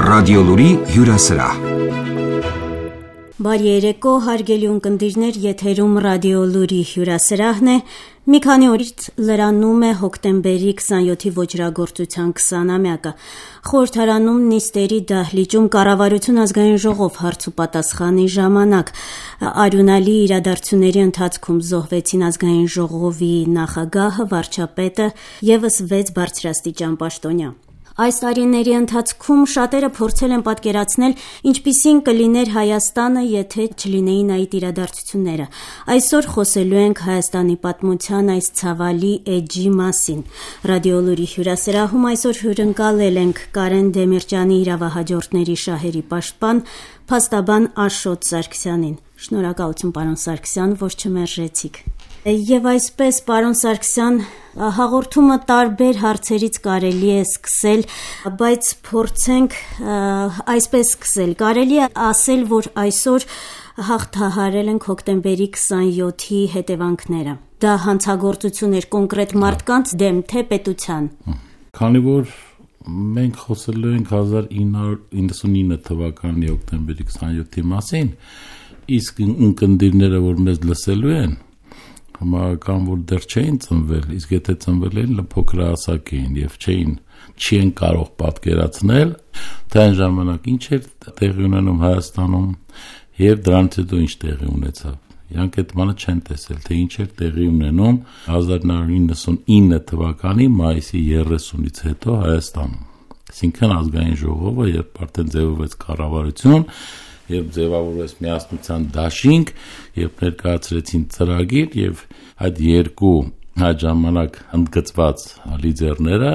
Ռադիոլուրի հյուրասրահ։ Բարի երեկո, հարգելի ունկնդիրներ, եթերում Ռադիոլուրի հյուրասրահն է։ Մի քանի օրից լրանում է հոկտեմբերի 27-ի ոճրագործության 20-ամյակը։ Խորհրդարանում նիստերի դահլիճում կառավարություն ազգային ժողով հարց ու պատասխանի ժամանակ արյունալի իրադարձությունների ընթացքում զոհվեցին ազգային ժողովի նախագահը, վարչապետը ևս 6 բարձրաստիճան պաշտոնյա։ Այս տարիների ընթացքում շատերը փորձել են պատկերացնել, ինչպիսին կլիներ Հայաստանը, եթե չլինեին այդ իրադարձությունները։ Այսօր խոսելու ենք Հայաստանի պատմության այս ցավալի էջի մասին։ Ռադիոլուրի հյուրասրահում այսօր հյուրընկալել ենք Կարեն Դեմիրճյանի իրավահաջորդների շահերի պաշտպան, փաստաբան Աշոտ Սարգսյանին։ Շնորհակալություն, պարոն Սարգսյան, որ չմերժեցիք։ Եվ այսպես, պարոն Սարգսյան, հաղորդումը տարբեր հարցերից կարելի է սկսել, բայց փորձենք այսպես սկսել։ Կարելի է ասել, որ այսօր հաղթահարել ենք հոկտեմբերի 27-ի հետևանքները։ Դա հանցագործություն էր կոնկրետ մարդկանց դեմ, թե պետության։ Քանի որ մենք խոսելու ենք 1999 թվականի հոկտեմբերի 27-ի մասին, իսկ ունկնդիրները, որ մեզ լսելու են, համարական որ դեռ չէին ծնվել, իսկ եթե ծնվել էին, փոքր հասակ էին եւ չեն կարող պատկերացնել, թե այն ժամանակ ինչ էր տեղի ունենում Հայաստանում եւ դրանից հետո ինչ տեղի ունեցավ։ Իրանք այդ բանը չեն տեսել, թե ինչ էր տեղի ունենում 1999 թվականի մայիսի 30-ից հետո Հայաստանում։ Այսինքն ազգային ժողովը, երբ արդեն ձևավորվեց կառավարություն, երբ ձևավորվեց միասնության դաշինք, երբ ներկայացրեցին ծրագիր եւ այդ երկու այդ ժամանակ ընդգծված լիդերները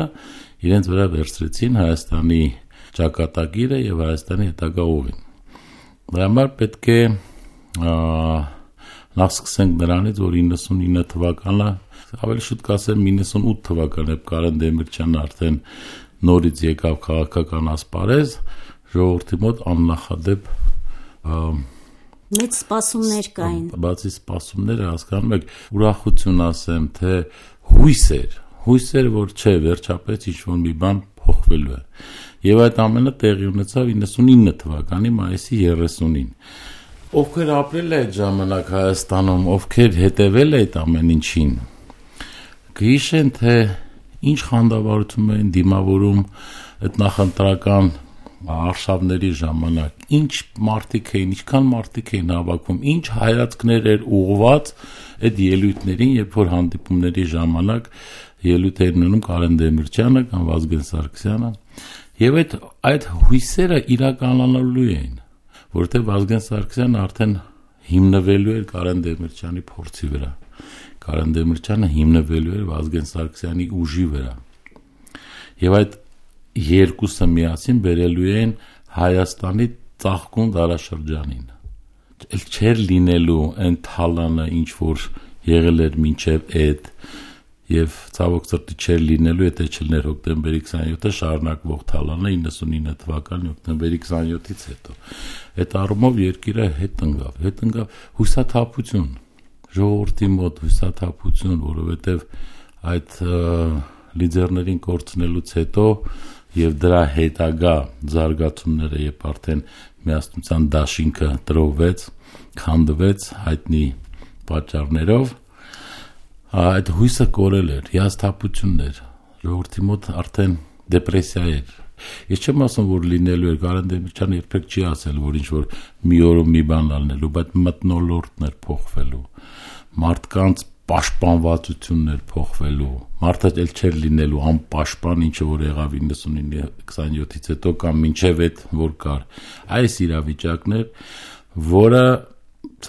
իրենց վրա վերցրեցին Հայաստանի ճակատագիրը եւ Հայաստանի հետագա ուղին։ Դրա համար պետք է նախ սկսենք նրանից, որ 99 թվականը, ավելի շուտ կասեմ 98 թվականը, երբ Կարեն Դեմիրճյանը արդեն նորից եկավ քաղաքական ասպարեզ, ժողովրդի մոտ աննախադեպ մեծ սպասումներ կային։ Բացի սպասումները, հասկանում եք, ուրախություն ասեմ, թե հույսեր, որ չէ, վերջապես ինչ-որ մի բան փոխվելու է։ Եվ այդ ամենը տեղի ունեցավ 99 թվականի մայիսի 30-ին։ Ովքեր ապրել է այդ ժամանակ Հայաստանում, ովքեր հետևել է այդ ամեն ինչին, կհիշեն, թե ինչ խանդավառություն էին դիմավորում այդ նախընտրական արշավների ժամանակ, ինչ մարդիկ էին, ինչքան մարդիկ էին հավաքում, ինչ հայացքներ էր ուղղված այդ ելույթներին, երբ որ հանդիպումների ժամանակ ելույթ էր ունենում Կարեն Դեմիրճյանը կամ Վազգեն Սարգսյանը, եւ այդ հույսերը իրականանալու էին, որովհետեւ Վազգեն Սարգսյանը արդեն հիմնվելու էր Կարեն Դեմիրճյանի փորձի վրա, Կարեն Դեմիրճյանը հիմնվելու էր Վազգեն Սարգսյանի ուժի վրա, եւ այդ երկուսը միասին բերելու են Հայաստանի ծաղկուն դարաշրջանին։ Էլ չէր լինելու այն թալանը, ինչ որ եղել էր մինչև այդ, եւ ցավոք սրտի չէր լինելու, եթե չլիներ հոկտեմբերի 27-ը շարունակվող թալանը 99 թվականի հոկտեմբերի 27-ից հետո։ Այդ առումով երկիրը հետ ընկավ հուսաթափություն, ժողովրդի մոտ հուսաթափություն, որովհետեւ այդ լիդերներին կորցնելուց հետո եւ դրա հետագա զարգացումները, երբ արդեն միասնության դաշինքը տրոհվեց, քանդվեց հայտնի պատճառներով, այդ հույսը կորել էր, հիասթափություններ, ժողովրդի մոտ արդեն դեպրեսիա էր։ Ես չեմ ասում, որ լինելու էր, Կարեն Դեմիրճյանը երբեք չի ասել, որ ինչ որ մի օրում մի բան ալնելու, բայց մթնոլորտներ փոխվելու, մարդկանց պաշտպանվածություններ փոխվելու, մարդը էլ չէր լինելու անպաշտպան, ինչը որ եղավ 99-27-ից հետո կամ մինչև այդ որ կար։ Այս իրավիճակներ, որը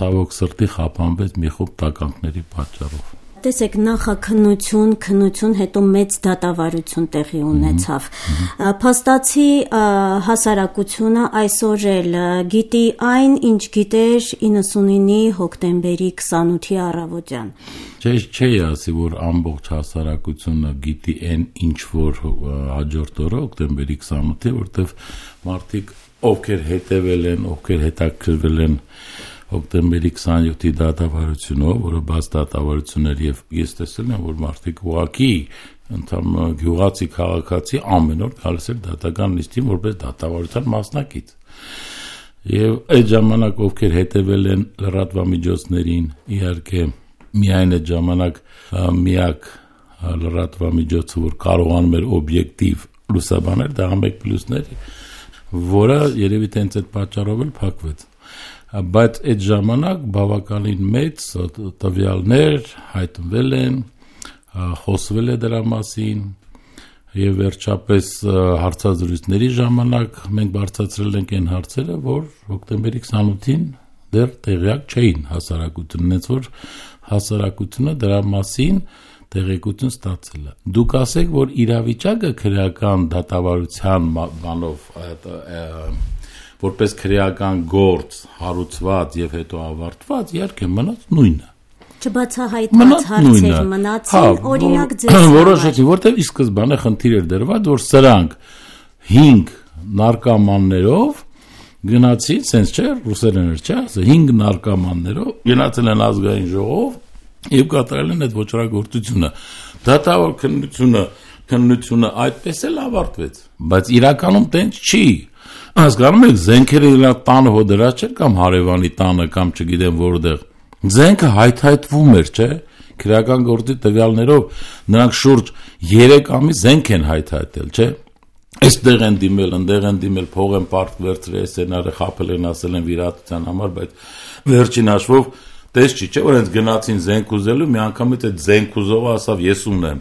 ցավոք սրտի խափանվեց մի խումբ տականքների պատճառով։ Տեսեք, քննություն, հետո մեծ դատավարություն տեղի ունեցավ։ Փաստացի հասարակությունը այսօր էլ գիտի այն, ինչ գիտեր 99-ի հոկտեմբերի 28-ի առավոտյան։ Չէ, ասի, որ ամբողջ հասարակությունը գիտի այն, ինչ որ հաջորդ օրը հոկտեմբերի 28-ի, որտեղ մարդիկ, ովքեր հետևել են, ովքեր հետաքրքրվել են հոկտեմբերի 27-ի դատավարությունով, որը բաց դատավարություն էր, եւ ես տեսել եմ, որ մարդիկ ուղղակի ընդհանուր գյուղացի քաղաքացի ամեն օր գալիս էր դատական նիստին որպես դատավարության մասնակից։ Եվ այդ ժամանակ ովքեր հետևել են լրատվամիջոցներին, իհարկե միայն այդ ժամանակ միակ լրատվամիջոցը, որ կարողանում էր օբյեկտիվ լուսաբանել, դա 1+1 էր, որը երևի տենց այդ պատճառով էլ փակվեց։ Բայց այդ ժամանակ բավականին մեծ տվյալներ հայտնվել են, խոսվել է դրա մասին եւ վերջապես հարցազրույցների ժամանակ մենք բարձրացրել ենք այն հարցերը, որ հոկտեմբերի 28-ին դեռ տեղյակ չէին հասարակությունն, այնց որ հասարակությունը դրա մասին տեղեկություն ստացել է։ Դուք ասեք, որ իրավիճակը քրեական դատավարության բանով որպես քրեական գործ հարուցված եւ հետո ավարտված, իհարկե մնաց նույնը։ Չբացահայտված հարցեր մնացին, օրինակ ձեզ որոշեցի, որտեղ ի սկզբանե խնդիր էր դրված, որ սրանք 5 նարկոմաններով գնացին, sense չէ, ռուսերեն էր, չէ, 5 նարկոմաններով գնացել են ազգային ժողով եւ կատարել են այդ ոչռագործությունը։ Դատավոր քննությունը այդպես էլ ավարտվեց, բայց իրականում տենց չի։ Հասկանում եք, զենքերը իրա տանը հոդրած չէր կամ հարևանի տանը կամ չգիտեմ որտեղ։ Զենքը հայթայթվում էր, չէ՞։ Քրեական գործի տվյալներով նրանք շուրջ 3 ամիս զենք են հայթայթել, չէ՞։ Այստեղ են դիմել, ընդեղ են դիմել, փող են պարտք վերցրել, սենարը խաբել են, ասել են վիրահատության համար, բայց վերջին հաշվով տես չի, չէ՞ որ հենց գնացին զենք ուզելու, մի անգամից այդ զենք ուզողը ասավ ես ունեմ։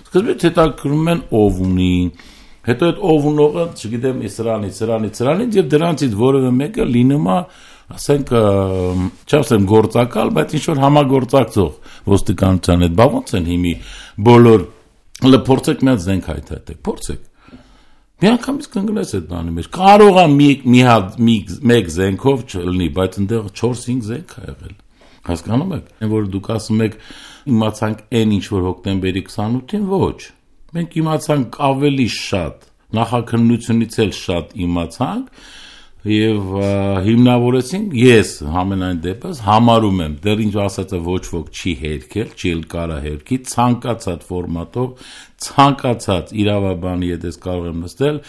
Սկզբից հետաքրքրում են ով ունի, հետո այդ ով ունողը, չգիտեմ, սրանից եւ դրանցից որևէ մեկը լինում է, ասենք, չասեմ գործակալ, բայց ինչ որ համագործակցող ոստիկանության հետ, բա ոնց են հիմի բոլոր փորձեք մի հատ զենք հայթայթեք, փորձեք։ Մի անգամից կընկնես այդ բանի մեջ։ Կարող է մեկ զենքով չլինի, բայց այնտեղ 4-5 զենք է եղել։ Հասկանում եք, որ դուք ասում եք իմացանք այն ինչ որ հոկտեմբերի 28-ին, ոչ։ Մենք իմացանք ավելի շատ, նախաքննությունից էլ շատ իմացանք եւ հիմնավորեցինք, ես համենայն դեպս համարում եմ, դեռ ինչ ասածը ոչ ոք չի հերքել, չի էլ կարա հերքի, ցանկացած ֆորմատով, ցանկացած իրավաբանի հետ ես կարող եմ նստել,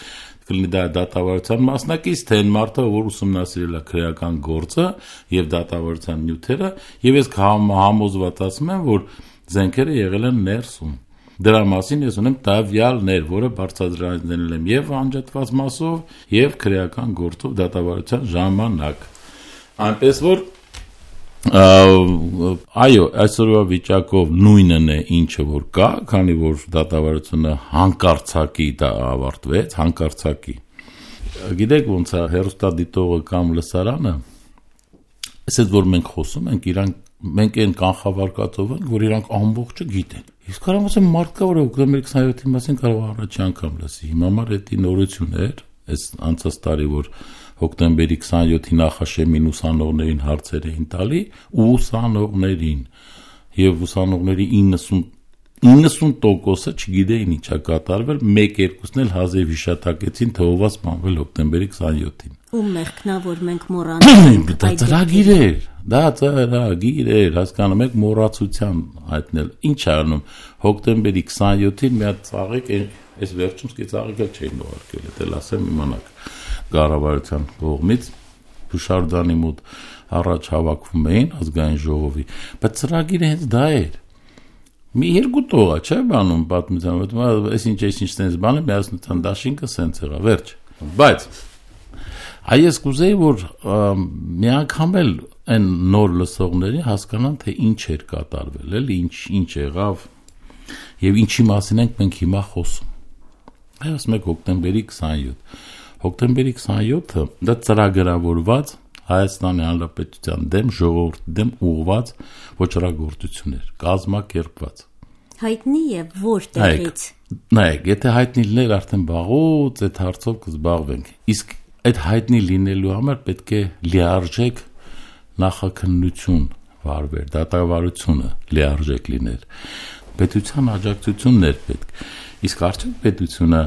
կլինի դա դատավարության մասնակից, թե այն մարդը, որ ուսումնասիրել է քրեական գործը եւ դատավարության նյութերը, եւ ես համոզված ասում եմ, որ զենքերը եղել են ներսում։ Դրա մասին ես ունեմ տվյալներ, որը բարձրացնել եմ եւ անջատված մասով եւ քրեական գործով դատավարության ժամանակ։ Այնպես որ այո, այսօրվա վիճակով նույնն է ինչը որ կա, քանի որ դատավարությունը հանկարծակի դա ավարտվեց, հանկարծակի։ Գիտեք ոնց է հերոստատիտողը կամ լսարանը, ասես որ մենք խոսում ենք, մենք այն կանխավարկածով ենք, որ իրանք ամբողջը գիտեն։ Իսկ կարող ասեմ մարդկա, որ հոկտեմբերի 27-ի մասին կարող առաջի անգամ լսի։ Հիմա մար դա նորություն էր, այս անցած տարի որ հոկտեմբերի 27-ի նախաշեմին ուսանողներին հարցեր էին տալի ու ուսանողներին եւ ուսանողների 90%-ը չգիտեին ինչա կատարվել, 1-2-ն էլ հազիվ հիշատակեցին թե ով սպանվել հոկտեմբերի 27-ին։ Ու մեղքնա որ մենք մոռանում դա ծրագիր էր, դա ծրագիր էր, հասկանում եք, մոռացության հայտնել։ Ինչ անում հոկտեմբերի 27-ին մի հատ ծաղիկ, այս վերջում ծաղիկը չէին ուղարկել, դա ասեմ իմանաք։ Կառավարության կողմից Հուշարձանի մոտ առաջ հավաքվում էին ազգային ժողովի, բայց ծրագիրը հենց դա էր։ Մի երկու տողա, չէ՞ բանում պատմության, այսինչ sense բանը միասնության դաշինքը sense եղա, վերջ։ Բայց այս կուզեի որ մի անգամ էլ այն նոր լսողների հասկանան թե ինչ էր կատարվել, էլի ինչ եղավ եւ ինչի մասին ենք մենք հիմա խոսում։ Այս մեկ հոկտեմբերի 27 Հոկտեմբերի 27-ը դա ծրագրավորված Հայաստանի Հանրապետության դեմ ժողովրդի դեմ ուղղված ոչռագործություն էր, կազմակերպված։ Հայտնի է որտեղից։ Նայեք, եթե հայտնի լիներ արդեն բաղուց այդ հարցով կզբաղվենք։ Իսկ այդ հայտնի լինելու համար պետք է լիարժեք նախաքննություն վարվեր, դատավարությունը լիարժեք լիներ։ Պետության աջակցությունն էր պետք։ Իսկ արդյոք պետությունը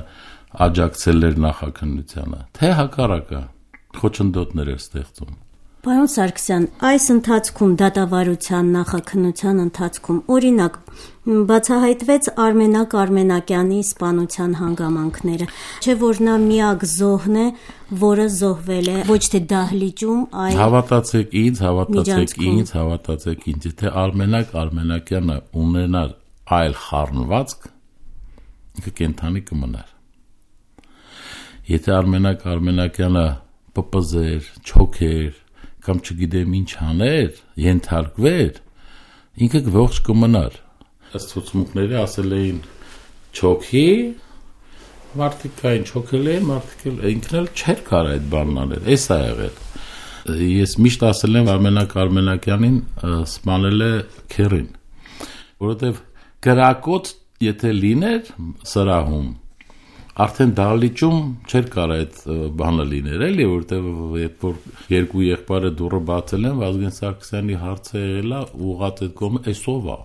աջակցել էր նախաքննությանը, թե հակառակը խոչընդոտներ էր ստեղծում։ Պարոն Սարգսյան, այս ընթացքում դատավարության նախաքննության ընթացքում օրինակ բացահայտվեց Արմենակ Արմենակյանի սպանության հանգամանքները, չէ՞ որ նա միակ զոհն է, որը զոհվել է ոչ թե դահլիճում, այլ Հավատացեք ինձ, եթե Արմենակ Արմենակյանը ունենար այլ խառնվածք, ինքը կենդանի կմնար։ Եթե Արմենակ Արմենակյանը պպզեր, չոքեր կամ չգիտեմ ինչ աներ, ենթարկվեր, ինքը ողջ կմնար։ Ըստ ցուցմունքների ասել էին չոքի, մարդիկ կային չոքել էին, մարդիկ ինքն էլ չէր կարող այդ բանն անել, էս է եղել։ Ես միշտ ասել եմ Արմենակ Արմենակյանին սպանել է քերին, որովհետև գրակոց եթե լիներ սրահում, արդեն դահլիճում չէր կարող այդ բանը լիներ, էլի, որտեղ երբ որ երկու եղբայրը դուռը բացել են, Վազգեն Սարգսյանի հարցը եղել է ուղղած այդ կողմը, էսով է։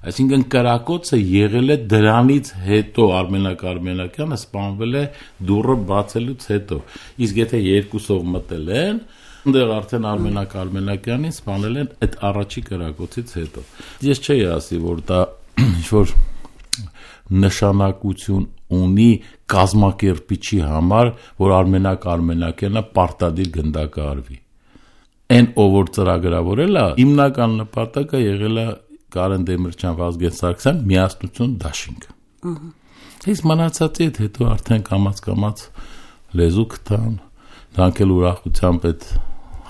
Այսինքն կրակոցը եղել է դրանից հետո, Արմենակ Արմենակյանը սպանվել է դուռը բացելուց հետո։ Իսկ եթե երկուսով մտել են, այնտեղ արդեն Արմենակ Արմենակյանին սպանել են այդ առաջի կրակոցից հետո։ Ես չէի ասի, որ դա ինչ-որ նշանակություն ունի կազմակերպիչի համար, որ Արմենակ Արմենակյանը պարտադիր գնդակը արվի։ Այն ով որ ծրագրավորել է, հիմնական նպատակը եղել է Կարեն Դեմիրճյան, Վազգեն Սարգսյան միասնություն դաշինք։ Իսկ մնացածի հետո արդեն կամաց լեզու գտան, դրանք էլ ուրախությամբ այդ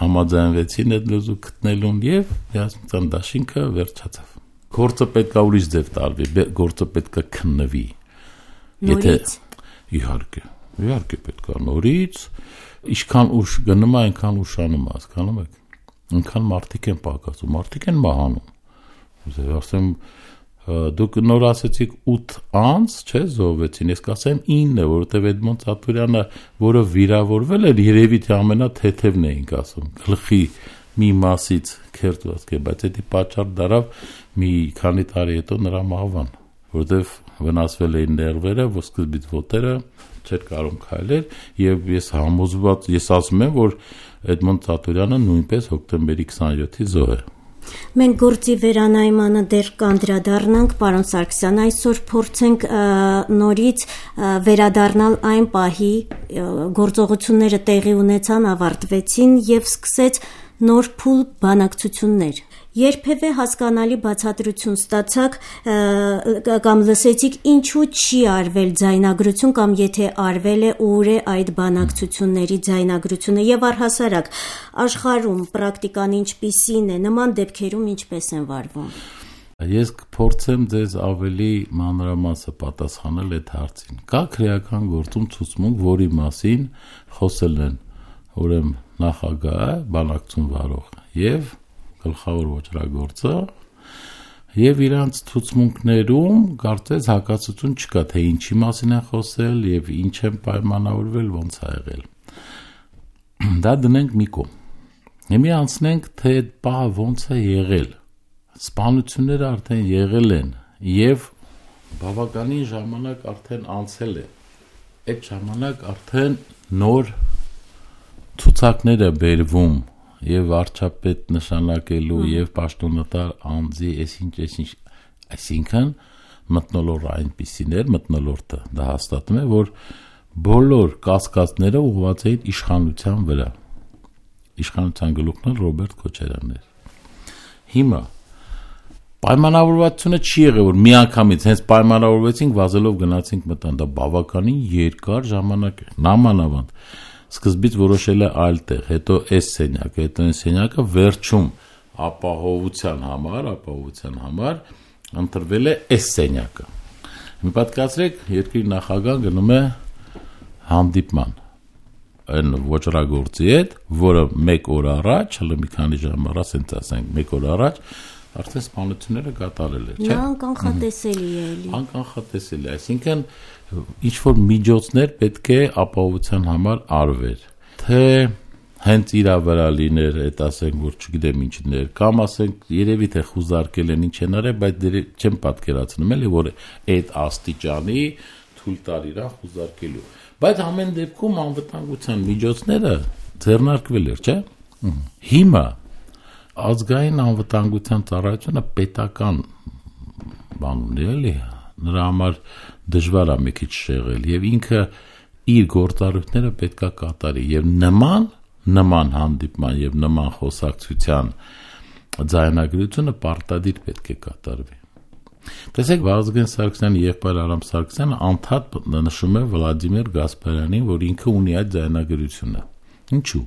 համաձայնվեցին այդ լեզու գտնելուն եւ միասնության դաշինքը վերջացավ։ Գործը պետք է ուրիշ ձև տարվի, գործը պետք է քննվի։ Նորից։ Իհարկե պետք է նորից, ինչքան ուշ գնում է, այնքան ուշանում է, հասկանում եք։ Այնքան մարդիկ են պակասում, մարդիկ են մահանում։ Ասեմ, դուք նոր ասեցիք 8 անց, չէ, զոհվեցին, ես կասեմ 9, որովհետև Էդմոնդ Սաթուրյանը, որը վիրավորվել էր, երևի թե ամենաթեթևն էինք ասում, գլխի մի մասից քերտված է, բայց դա պատճառ դարավ մի քանի տարի հետո նրա մահվան, որովհետև վնասվել էին ներվերը, ոսկրբից ոտերը, չէր կարող քայլել եւ ես ասում եմ, որ Էդմոնդ Սաթուրյանը նույնպես հոկտեմբերի 27-ի զոհ է։ Մենք գործի վերանայմանը դեռ կանդրադառնանք, պարոն Սարգսյան, այսօր փորձենք նորից վերադառնալ այն պահի, գործողությունները տեղի ունեցան, ավարտվեցին եւ սկսեց նոր փուլ բանակցություններ։ Երբևէ հասկանալի բացատրություն ստացաք կամ լսեցիք ինչու չի արվել ձայնագրություն կամ եթե արվել է ուր է այդ բանակցությունների ձայնագրությունը եւ առհասարակ աշխարհում պրակտիկան ինչպիսին է, նման դեպքերում ինչպես են վարվում։ Ես կփորձեմ ձեզ ավելի մանրամասը պատասխանել այդ հարցին։ Կա քրեական գործում ցուցմունք, որի մասին խոսել են ուրեմն նախագահը, բանակցություն վարող եւ գլխավոր ոչրագործը եւ իրանց ցուցմունքներում կարծես հակասություն չկա, թե ինչի մասին են խոսել եւ ինչ են պայմանավորվել, ոնց է եղել։ Դա դնենք մի կողմ։ Հիմա անցնենք, թե այդ բանը ոնց է եղել։ Սպանությունները արդեն եղել են եւ բավականին ժամանակ արդեն անցել է։ Այդ ժամանակ արդեն նոր ցուցակներ է բերվում եւ վարչապետ նշանակելու եւ պաշտոնատար անձի այսինքն մթնոլորտը այնպիսին էր, մթնոլորտը դա հաստատում է, որ բոլոր կասկածները ուղղված էին իշխանության վրա։ Իշխանության գլուխն Ռոբերտ Քոչարյանն էր։ Հիմա պայմանավորվածությունը չի եղել, որ միանգամից հենց պայմանավորվեցինք, վազելով գնացինք մտան, դա բավականին երկար ժամանակ է, նամանավանդ սկզբից որոշել է այլ տեղ, հետո այս սենյակը, հետո այս սենյակը վերջում ապահովության համար ընտրվել է այս սենյակը։ Մի պատկերացրեք, երկրի նախագահը գնում է հանդիպման այն ոչրագործի հետ, որը 1 օր առաջ, հələ մի քանի ժամ առաջ, ասենք 1 օր առաջ արդեն սպանությունները կատարել էր, չէ՞։ Նա անկանխատեսելի է էլի։ Անկանխատեսելի, այսինքն ինչ-որ միջոցներ պետք է ապահովության համար արվեր, թե հենց իրա վրա լիներ, այդ ասենք, որ չգիտեմ ինչներ, կամ ասենք երևի թե խուզարկել են ինչ են արել, բայց չեմ պատկերացնում էլի, որ այդ աստիճանի թույլ տար իրան խուզարկելու։ Բայց ամեն դեպքում անվտանգության միջոցները ձեռնարկվել էր, չէ՞։ Հիմա ազգային անվտանգության ծառայությունը պետական բան ունի, էլի, նրա համար դժվար է մի քիչ շեղել եւ ինքը իր գործառույթները պետքա կատարի եւ նման հանդիպման եւ նման խոսակցության ձայնագրությունը պարտադիր պետք է կատարվի։ Տեսեք, Վազգեն Սարգսյանի եղբայր Արամ Սարգսյանը անդադ նշում է Վլադիմիր Գասպարյանին, որ ինքը ունի այդ ձայնագրությունը։ Ինչու՞։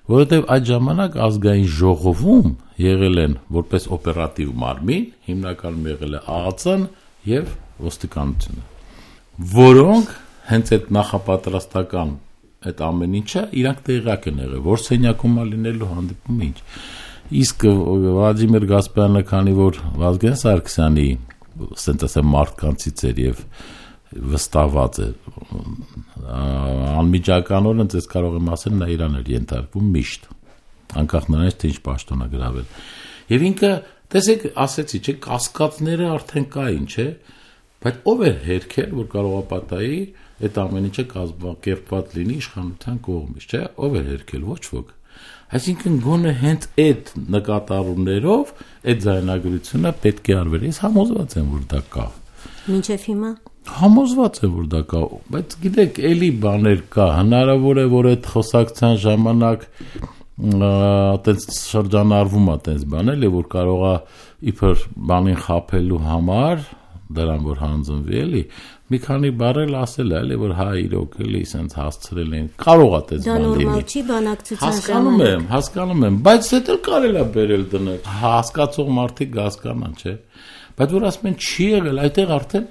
Որովհետև այդ ժամանակ ազգային ժողովում եղել են որպես օպերատիվ մարմին, հիմնականում եղել է ԱԱՑ-ն եւ ոստիկանությունը, որոնք հենց այդ նախապատրաստական այդ ամեն ինչը իրանք տեղյակ են եղել, որ սենյակում է լինելու հանդիպումը ինչ։ Իսկ Վլադիմիր Գասպարյանը, քանի որ Վազգեն Սարգսյանի, ասենք ասեմ, մարդկանցից էր եւ վստահված է, անմիջականորեն ես կարող եմ ասել, նա իրան էր ենթարկվում միշտ, անկախ նրանից թե ինչ պաշտոն է գրավել։ Եվ ինքը, տեսեք, ասեցի, չէ, կասկածները արդեն կային, չէ, բայց ով էր հերքել, որ կարող է պատահի այդ ամեն ինչը կազմակերպված լինի իշխանության կողմից, չէ, ով էր հերքել, ոչ ոք։ Այսինքն գոնե հենց այդ նկատառումներով այդ ձայնագրությունը պետք է արվեր։ Ես համոզված եմ, որ դա կա։ Մինչև հիմա Համոզված եմ, որ դա կա, բայց գիտեք, էլի բաներ կա, հնարավոր է, որ այդ խոսակցության ժամանակ այտենց շրջանառվում է այտենց բան էլի, որ կարող է իբր բանին խաբելու համար, դրան որ հանձնվի էլի, մի քանի բառել ասել է, էլի, որ հա իրոք էլի սենց հասցրել են, կարող է այդպես բան լինի։ Դա նորմալ չի բանակցության ժամանակ։ Հասկանում եմ, բայց դա էլ կարելի է բերել դնել, հասկացող մարդիկ կհասկանան, չէ։ Բայց որ ասում են չի եղել, այդտեղ արդեն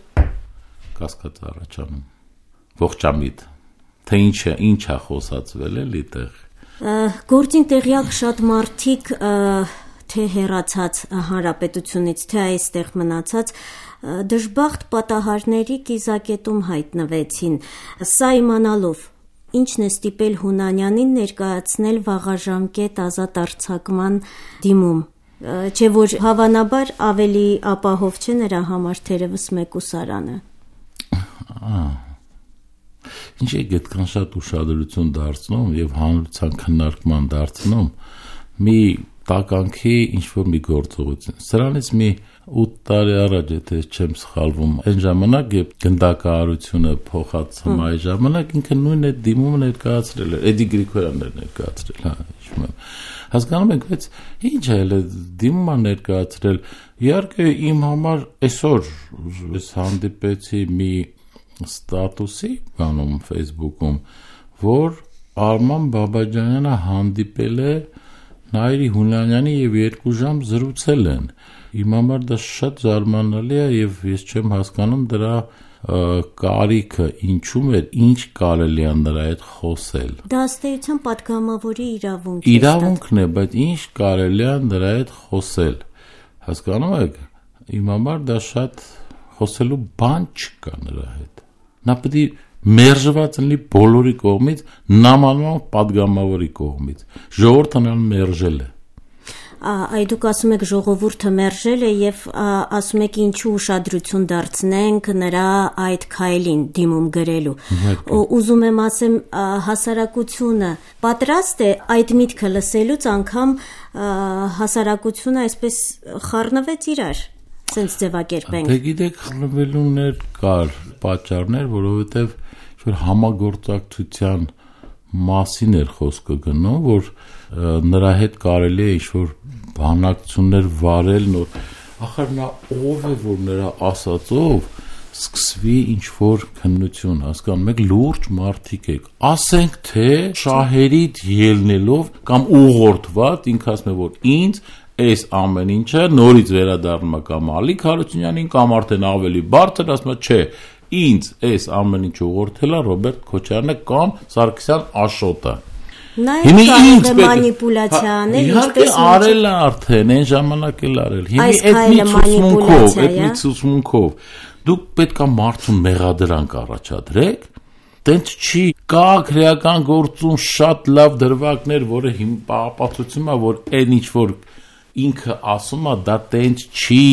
կասկած առաջանում, ողջամիտ, թե ինչ է խոսացվել էլի տեղ։ Գործին տեղյակ շատ մարդիկ, թե հեռացած հանրապետությունից, թե այստեղ մնացած, դժբախտ պատահարների կիզակետում հայտնվեցին։ Սա իմանալով, ինչն է ստիպել Հունանյանին ներկայացնել վաղաժամկետ ազատ արձակման դիմում, չէ որ հավանաբար ավելի ապահով չէ նրա համար թերևս մեկուսարանը։ Ինչ է այդքան շատ ուշադրություն դարձնում եւ հանրության քննարկման դարձնում մի տականքի ինչ-որ մի գործողություն։ Սրանից մի 8 տարի առաջ, եթե չեմ սխալվում, այն ժամանակ, երբ գնդակահարությունը փոխած համայի ժամանակ ինքը նույն այդ դիմումը ներկայացրել էր, Էդի Գրիգորյանն էր ներկայացրել, հա, հիշում եմ։ Հասկանում եք, բայց ինչ է էլ դիմումը ներկայացրել։ Իհարկե իմ համար այսօր ես հանդիպեցի մի ստատուսի բանում Facebook-ում, որ Արման Բաբաջանյանը հանդիպել է Նայիրի Հունանյանի եւ 2 ժամ զրուցել են։ Իմ համար դա շատ զարմանալի է եւ ես չեմ հասկանում դրա կարիքը ինչու՞մ էր, ինչ կարելի է նրա հետ խոսել։ Դա ըստ էության պատգամավորի իրավունք է։ Իրավունքն է, բայց ինչ կարելի է նրա հետ խոսել։ Հասկանում եք, իմ համար դա շատ խոսելու բան չկա նրա հետ։ Նա պետք է մերժված լինի բոլորի կողմից, նամանման պատգամավորի կողմից։ Ժողովուրդը նրան մերժել է։ Այ դուք ասում եք ժողովուրդը մերժել է եւ ասում եք ինչու ուշադրություն դարձնենք նրա այդ քայլին դիմում գրելու։ Ուզում եմ ասեմ հասարակությունը պատրաստ է այդ միտքը լսելուց անգամ հասարակությունը այսպես խառնվեց իրար։ Սենց ձևակերպենք։ Դե գիտեք, խռնվելուներ կար, պատճառներ, որովհետև որ համագործակցության մասին էր խոսքը գնում, որ նրա հետ կարելի է ինչ-որ բանակցություններ վարել, նոր ախր նա ով է, որ նրա ասածով սկսվի ինչ-որ քննություն, հասկանում եք, լուրջ մարդիկ եք, ասենք թե շահերից ելնելով կամ ուղղորդված, ինքը ասում է, որ ինձ այս ամեն ինչը նորից վերադառնում է կամ Ալիկ Հարությունյանին կամ արդեն ավելի բարձր, ասում է, չէ, ինձ այս ամեն ինչը ուղղորդել է Ռոբերտ Քոչարյանը կամ Սարգսյան Աշոտը։ Նա ինձ մանիպուլյացիա անել, ինչպես արել է արդեն, այն ժամանակ էլ արել։ Հիմա այդ մի ցուցմունքով դուք պետք է մարդուն մեղադրանք առաջադրեք, տենց չի, կա քրեական գործում շատ լավ դրվագներ, որը հիմա ապացուցում է, որ այն ինչ որ ինքը ասում է, դա տենց չի,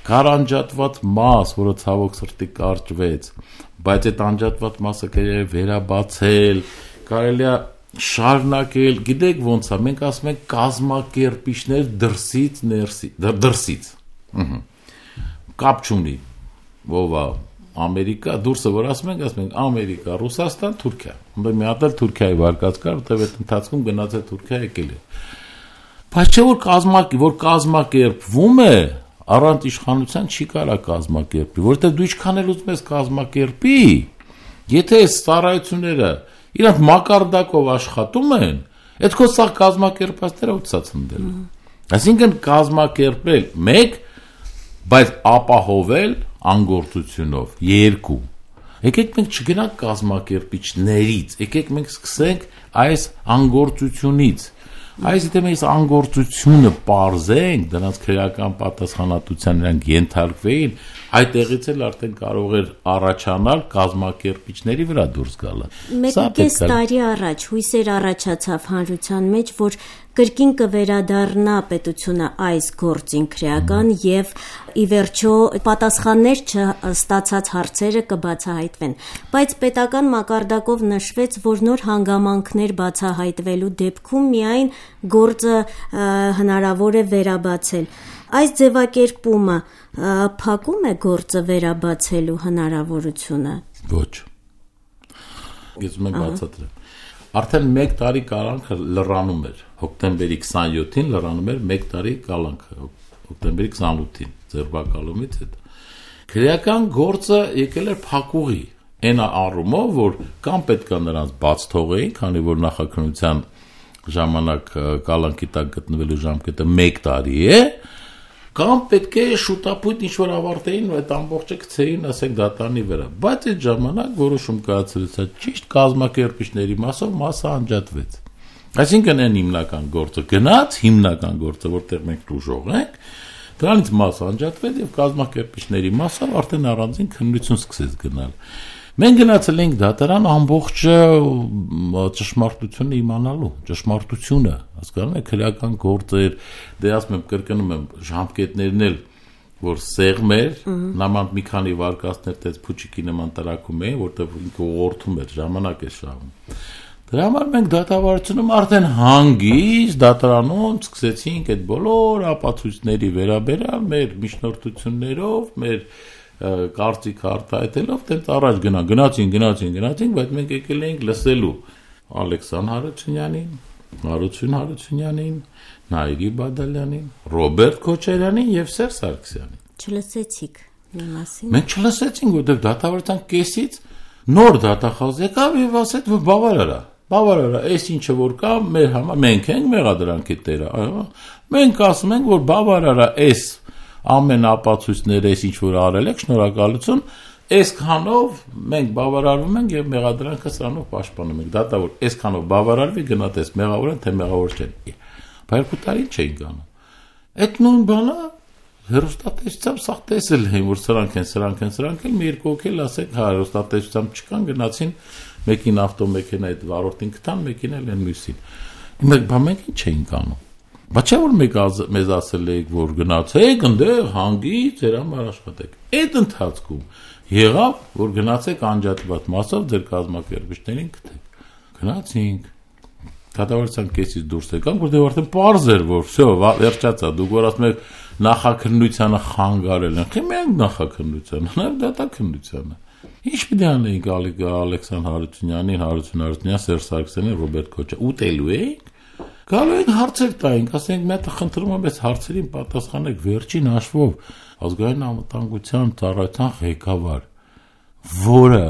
կար անջատված մաս, որը ցավոք սրտի կարճվեց, բայց այդ անջատված մասը կարելի է վերաբացել, կարելի է շարունակել, գիտեք ոնց է, մենք ասում ենք կազմակերպիչներ դրսից, կապ չունի, ով է Ամերիկա, դուրսը որ ասում ենք Ամերիկա, Ռուսաստան, Թուրքիա, մի հատ էլ Թուրքիայի վարկած կար, որտեղ այդ ընթացքում գնաց է Թուրքիա եկել է, բայց չէ որ կազմակերպվում է, առանց իշխանության չի կարա կազմակերպի, որտեղ դու ինչքան էլ ուզում ես կազմակերպի, եթե այս ծառայությունները իրանք մակարդակով աշխատում են, այդ քո սա կազմակերպածները ուծած ընդել։ Այսինքն կազմակերպել 1, բայց ապահովել անգործությունով 2։ Եկեք մենք չգնանք կազմակերպիչներից, եկեք մենք սկսենք այս անգործությունից։ Այս եթե մենք անգործությունը պարզենք, դրանց քրեական պատասխանատվության նրանք ենթարկվեին, այդտեղից էլ արդեն կարող էր առաջանալ կազմակերպիչների վրա դուրս գալը։ 1.5 տարի առաջ հույսեր առաջացավ հանրության մեջ, որ կրկին կվերադառնա պետությունը այս գործին քրեական եւ ի վերջո պատասխաններ չստացած հարցերը կբացահայտվեն, բայց պետական մակարդակով նշվեց, որ նոր հանգամանքներ բացահայտվելու դեպքում միայն գործը հնարավոր է վերաբացել։ Այս ձևակերպումը փակում է գործը վերաբացելու հնարավորությունը։ Ոչ։ Ես մենք բացատրեմ։ Արդեն 1 տարի կալանքը լրանում էր, հոկտեմբերի 27-ին լրանում էր 1 տարի կալանքը, հոկտեմբերի 28-ին ձերբակալումից հետո։ Քրեական գործը եկել էր փակուղի, այն առումով, որ կամ պետք է նրանց բաց թողեին, քանի որ նախաքննության ժամանակ կալանքի տակ գտնվելու ժամկետը 1 տարի է, կամ պետք է շուտապույտ ինչ-որ ավարտեին ու այդ ամբողջը գցեին, ասենք դատարանի վրա, բայց այդ ժամանակ որոշում կայացրեցա ճիշտ կազմակերպիչների մասը անջատվեց։ Այսինքն այն հիմնական գործը գնաց, հիմնական գործը, որտեղ մենք դժող ենք, դրանից մասը անջատվեց եւ կազմակերպիչների մասը արդեն առանձին քննություն սկսեց գնալ։ Մենք գնացել ենք դատարան ամբողջ ճշմարտությունը իմանալու, ճշմարտությունը, հասկանում եք, քրեական գործեր, դե ասում եմ, կրկնում եմ, ժամկետներն էլ, որ սեղմ էր, նամանտ մի քանի վարկածներ տես փուչիկի նման տրակում էին, որտեղ ինքը ուղղորդում էր, ժամանակ է շահում։ Դրա համար մենք դատավարությունում արդեն հանգիստ դատարանում սկսեցինք այդ բոլոր ապացույցների վերաբերյալ մեր միջնորդություններով, մեր կարծիք արտահայտելով տենց առաջ գնացին, բայց մենք եկել էինք լսելու Ալեքսան Հարությունյանին, Հարություն Հարությունյանին, Նայիրի Բադալյանին, Ռոբերտ Քոչարյանին եւ Սերժ Սարգսյանին։ Չլսեցիք մի մասին։ Մենք չլսեցինք, որտեղ դատավարության կեսից նոր դատախազ եկավ եւ ասեց, որ բավարար է, այս ինչը որ կա, մեր համար մենք ենք մեղադրանքի տերը, այո։ Մենք ասում ենք, որ բավարար է այս ամեն ապացույցները այս ինչ որ արել եք, շնորհակալություն, այսքանով մենք բավարարվում ենք եւ մեղադրանքը սրանով պաշտպանում ենք։ Դատավոր այսքանով բավարարվի, գնահատես մեղավոր են, թե մեղավոր չեն։ Բայց 2 տարի չէին անում։ Այդ նույն բանը հերոստատեսությամբ սա տեսել են, որ սրանք են, մի երկու օքել ասեք, հա հերոստատեսությամբ չկան, գնացին մեկին ավտոմեքենա այդ վարորդին գտան, մեկին էլ են մյուսին։ Մենք ինչ չէինք անում։ Բայց չէ որ մեզ ասել եք, որ գնացեք ընդեղ հանգիստ ձեր համար աշխատեք։ Այդ ընթացքում եղավ, որ գնացեք անջատված մասով ձեր կազմակերպիչներին գտեք։ Գնացինք։ Դատավարության կեսից դուրս եկանք, որտեղ արդեն պարզ էր, որ վсё, վերջացա, դուք որ ասում եք նախաքննությանը խանգարել են։ Խի մենք նախաքննությանը, նաև դատաքննությանը։ Ինչ պիտի անեինք Ալեքսան Հարությունյանին, Սերժ Սարգսյանին, Ռոբերտ Քոչարյանին, ուտելու էինք։ Գալու ենք հարցեր տայինք, ասենք մի հատ խնդրում եմ այս հարցերին պատասխանեք վերջին հաշվով ազգային անվտանգության ծառայության ղեկավար, որը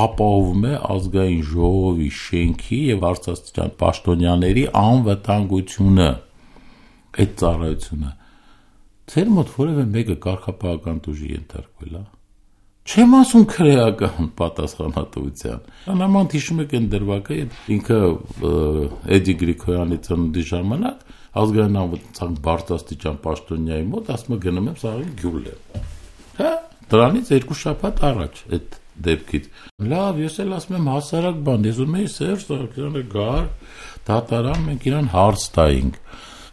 ապահովում է ազգային ժողովի շենքի եւ արցախյան պաշտոնյաների անվտանգությունը, այդ ծառայությունը։ Ձեր մոտ որևէ մեկը կարգապահական տուժի ենթարկվել է։ Չեմ ասում քրեական պատասխանատվության։ Նման հիշում եք այն դրվագը, ինքը Էդի Գրիգորյանի ծննդի ժամանակ ազգային անվտանգության բարձրաստիճան պաշտոնյայի մոտ ասում է գնում եմ սաղի գյուլեմ։ Հա, դրանից 2 շաբաթ առաջ այդ դեպքից։ Լավ, ես էլ ասում եմ հասարակ բան, ես ուզում եի Սերժ Սարգսյանը գար, դատարան, մենք իրան հարց տայինք։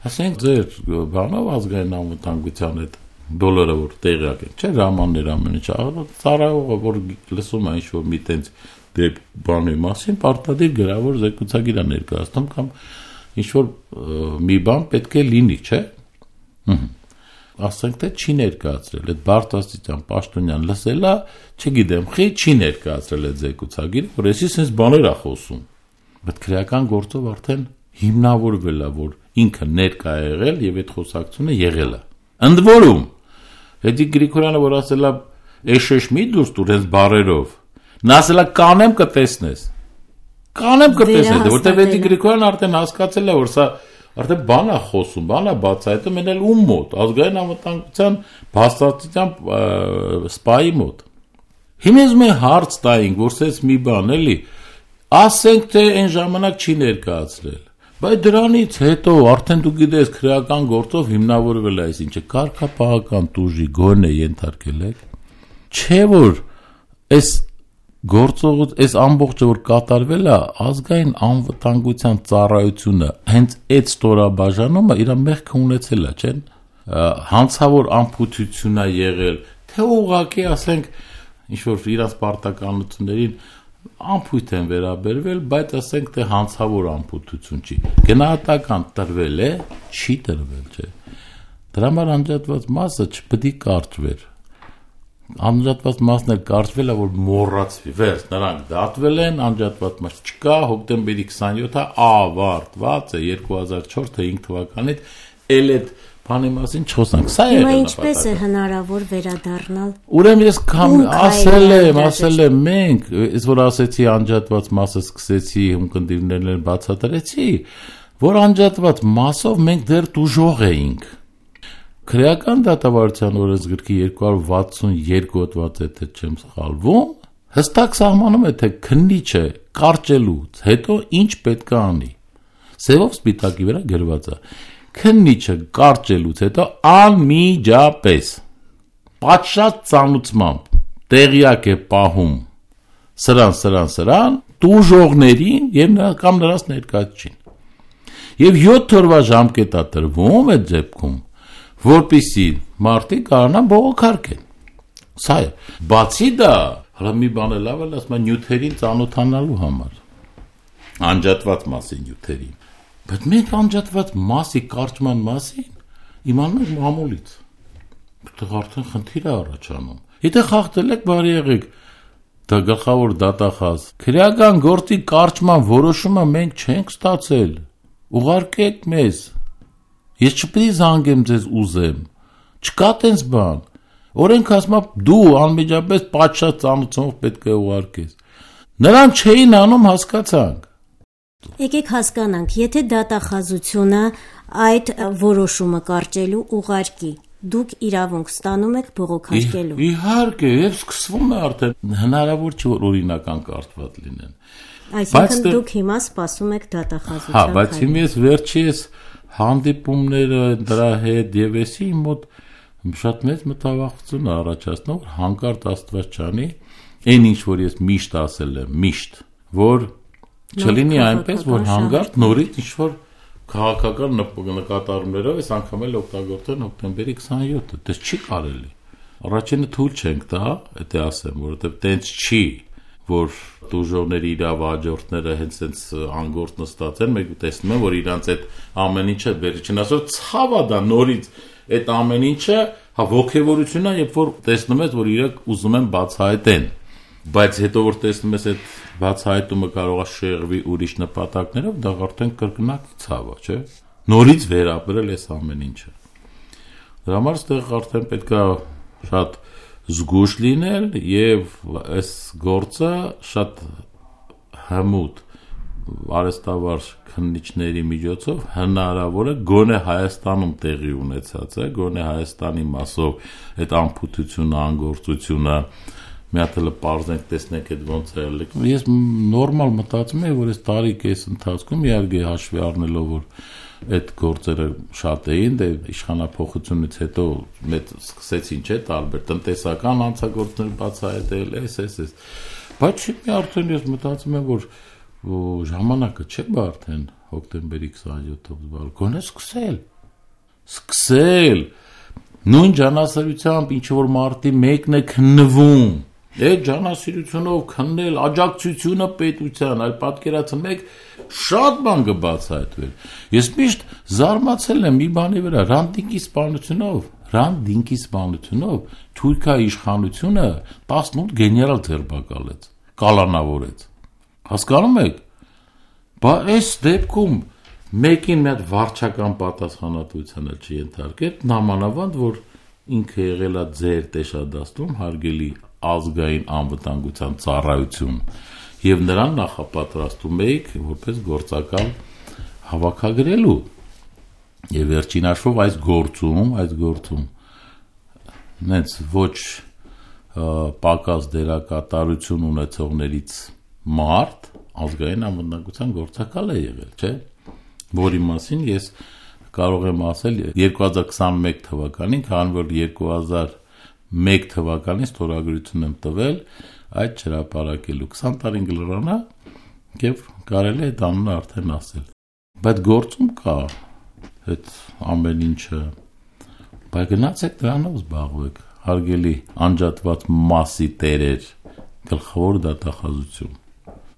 Ասենք ձեր բանով ազգային անվտանգության այդ դոլարը որ տեղյակ են, չէ՞ ռամաններ ամեն ինչ, ծառայողը որ լսում է ինչ որ մի տենց դեպի բանի մասին պարտադիր գրավոր զեկուցագիր է ներկայացնում կամ ինչ-որ մի բան պետք է լինի, չէ՞։ Ասենք թե չի ներկայացրել, այդ բարձրաստիճան պաշտոնյան լսելա, չգիտեմ, չի ներկայացրել այդ զեկուցագիրը, որ էսի sense բաներ է խոսում։ Բայց քրեական գործով արդեն հիմնավորվել է, որ ինքը ներկա է եղել եւ այդ խոսակցությունը եղել է։ Ընդ որում, Էդի Գրիգորյանը որ ասել է «Էշեշ մի դուրս տուր այս բարերով», նա ասել է «Կանեմ կտեսնես»։ Կանեմ կտեսնես, որտեղ Էդի Գրիգորյանը արդեն հասկացել է, որ սա արդեն բան է խոսում, բան է բացահայտում, մեն էլ ում մոտ, ազգային անվտանգության բացառության սպայի մոտ։ Հիմա ուզում եմ հարց տայինք, որ սենց մի բան էլի, ասենք թե այն ժամանակ չի ներկայացրել։ Բայց դրանից հետո արդեն դու գիտես քրեական գործով հիմնավորվել է այսինչը կարգապահական տուժի գոնե ենթարկել եք։ Չէ որ այս գործողոց այս ամբողջը որ կատարվել է ազգային անվտանգության ծառայությունը հենց այդ ստորաբաժանումը իր մեղքը ունեցել է, չէ՞։ Հանցավոր ամփոփություն է եղել, թե ուղղակի ասենք ինչ որ իրանց պարտականություններին ամփույթ են վերաբերվել, բայց ասենք թե հանցավոր ամփոփություն չի։ Գնահատական տրվել է, չի տրվել, չէ։ Դրա համար անջատված մասը չպետք է կարճվեր։ Անջատված մասն էլ կարճվել է, որ մոռացվի։ Վերջ, նրանք դատվել են, անջատված մաս չկա, հոկտեմբերի 27-ը ավարտված է 2004 թե 5 թվականից, էլ այդ բանի մասին չխոսանք։ Սա է հիմա ինչպես է հնարավոր վերադառնալ։ Ուրեմն ես ասել եմ մենք, ես որ ասեցի անջատված մասը սկսեցի ունկնդիրներն բացատրեցի, որ անջատված մասով մենք դեռ դժոխ էինք։ Քրեական դատավարության օրենսգրքի 262 հոդված է թե չեմ սխալվում, հստակ սահմանում է թե քննիչը կարճելուց հետո ինչ պետք է անի։ Սևով սպիտակի վրա գրված է. քննիչը կարճելուց հետո անմիջապես պատշաճ ծանուցմամբ տեղյակ է պահում սրան տուժողներին եւ կամ նրանց ներկայացուցին։ Եվ 7 օրվա ժամկետ է տրվում այդ դեպքում, որպեսզի մարդիկ կարողանան բողոքարկեն։ Սա է։ Բացի դա, հələ մի բան էլ ավել, ասում են նյութերին ծանոթանալու համար։ Անջատված մասի նյութերին։ Բայց մենք անջատված մասի կարճման մասին իմանանք մամուլից։ Որտեղ արդեն խնդիր է առաջանում։ Եթե խախտել եք, բարի եղեք, դա գլխավոր դատախազ։ Քրեական գործի կարճման որոշումը մենք չենք ստացել։ Ուղարկեք մեզ։ Ես չպետք է զանգեմ ձեզ ուզեմ։ Չկա տենց բան։ Օրենքը ասում է դու անմիջապես պատշաճ ծանուցումով պետք է ուղարկես։ Նրան չէին անում, հասկացանք։ Եկեք հասկանանք, եթե դատախազությունը այդ որոշումը կարճելու ուղարկի, դուք իրավունք ստանում եք բողոքարկելու։ Իհարկե, եւ սկսվում է արդեն հնարավոր չէ որ օրինական կարճված լինեն։ Այսինքն դուք հիմա սպասում եք դատախազության։ Հա, բայց հիմա ես վերջից հանդիպումները դրա հետ եւ էսի մոտ շատ մեծ մտավախություն առաջացնում, որ հանկարծ Աստված չանի, այն ինչ որ ես միշտ ասել եմ, միշտ, որ չլինի այնպես, որ հանգարտ նորից ինչ-որ քաղաքական նկատառումներով այս անգամ էլ օգտագործեն հոկտեմբերի 27-ը, դա չի կարելի։ Առաջինը թույլ չենք տա, դա ասեմ, որովհետև տենց չի, որ դուժողների իրավահաջորդները հենց այնց անգործ նստած են, մենք տեսնում ենք, որ իրանց այդ ամեն ինչը վերջին ասող ցավա դա նորից այդ ամեն ինչը ոգևորությունն է, երբ որ տեսնում ես, որ իրենք ուզում են բացահայտեն։ Բայց հետո որ տեսնում ես այդ բացահայտումը կարող է շեղվի ուրիշ նպատակներով, դա արդեն կրկնակի ցավ է, չէ՞։ Նորից վերապրել այս ամեն ինչը։ Դրա համար այստեղ արդեն պետք է շատ զգույշ լինել եւ այս գործը շատ հմուտ արհեստավար քննիչների միջոցով հնարավոր է գոնե Հայաստանում տեղի ունեցած է, գոնե Հայաստանի մասով այդ անփութությունը, անգործությունը մի հատ էլ պարզենք տեսնենք այդ ոնց է ելել։ Ես նորմալ մտածում եմ, որ այս տարի կես ընթացքում իհարկե հաշվի առնելով որ այդ գործերը շատ էին, դե իշխանափոխությունից հետո մեծ սկսեցին չէ տարբեր տնտեսական հանցագործներ բացահայտել, էս։ Բայց մի արդեն ես մտածում եմ, որ ժամանակը չէ բա արդեն հոկտեմբերի 27-ով գոնե սկսել նույն ջանասարությամբ ինչ որ մարտի մեկն է քննվում Այդ ջանասիրությունով քննել աջակցությունը պետության, այլ պատկերացնեք շատ բան կբացահայտվեր։ Ես միշտ զարմացել եմ մի բանի վրա, Ռանդինկի սպանությունով Թուրքիայի իշխանությունը 18 գեներալ ձերբակալեց, կալանավորեց։ Հասկանում եք։ Բա այս դեպքում մեկին մի հատ վարչական պատասխանատվության էլ չենթարկել, նամանավանդ որ ինքը եղել է ձեր տեսադաստում հարգելի ազգային անվտանգության ծառայություն եւ նրան նախապատրաստում էիք որպես գործակալ հավաքագրելու եւ վերջին հաշվով այս գործում նենց ոչ պակաս դերակատարություն ունեցողներից մարդ ազգային անվտանգության գործակալ է եղել, չէ՞, որի մասին ես կարող եմ ասել 2021 թվականին, քանի որ 2001 թվականին ստորագրություն եմ տվել այդ հրապարակելու 20 տարին գլրանա եւ կարելի է դա արդեն ասել։ Բայց գործում կա այդ ամեն ինչը, բայց գնացեք դրանով զբաղվեք, հարգելի անջատված մասի տերեր, գլխավոր դատախազություն։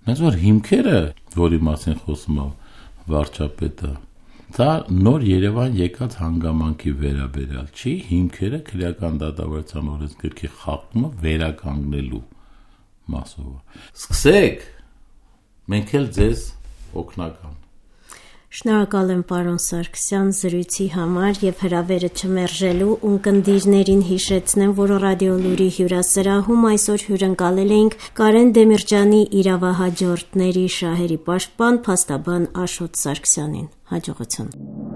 Նենց որ հիմքերը, որի մասին խոսում է վարչապետը, դա նոր Երևան եկած հանգամանքի վերաբերյալ չի, հիմքերը քրեական դատավարության օրենսգրքի խախտումը վերականգնելու մասով։ Սկսեք, մենք էլ ձեզ օգնական։ Շնորհակալ եմ պարոն Սարգսյան զրույցի համար եւ հրավերը չմերժելու ունկնդիրներին հիշեցնեմ, որ ռադիոլուրի հյուրասրահում այսօր հյուրընկալել էինք Կարեն Դեմիրճյանի իրավահաջորդների շահերի պաշտպան փաստաբան Աշոտ Սարգսյանին։ Հաջողություն։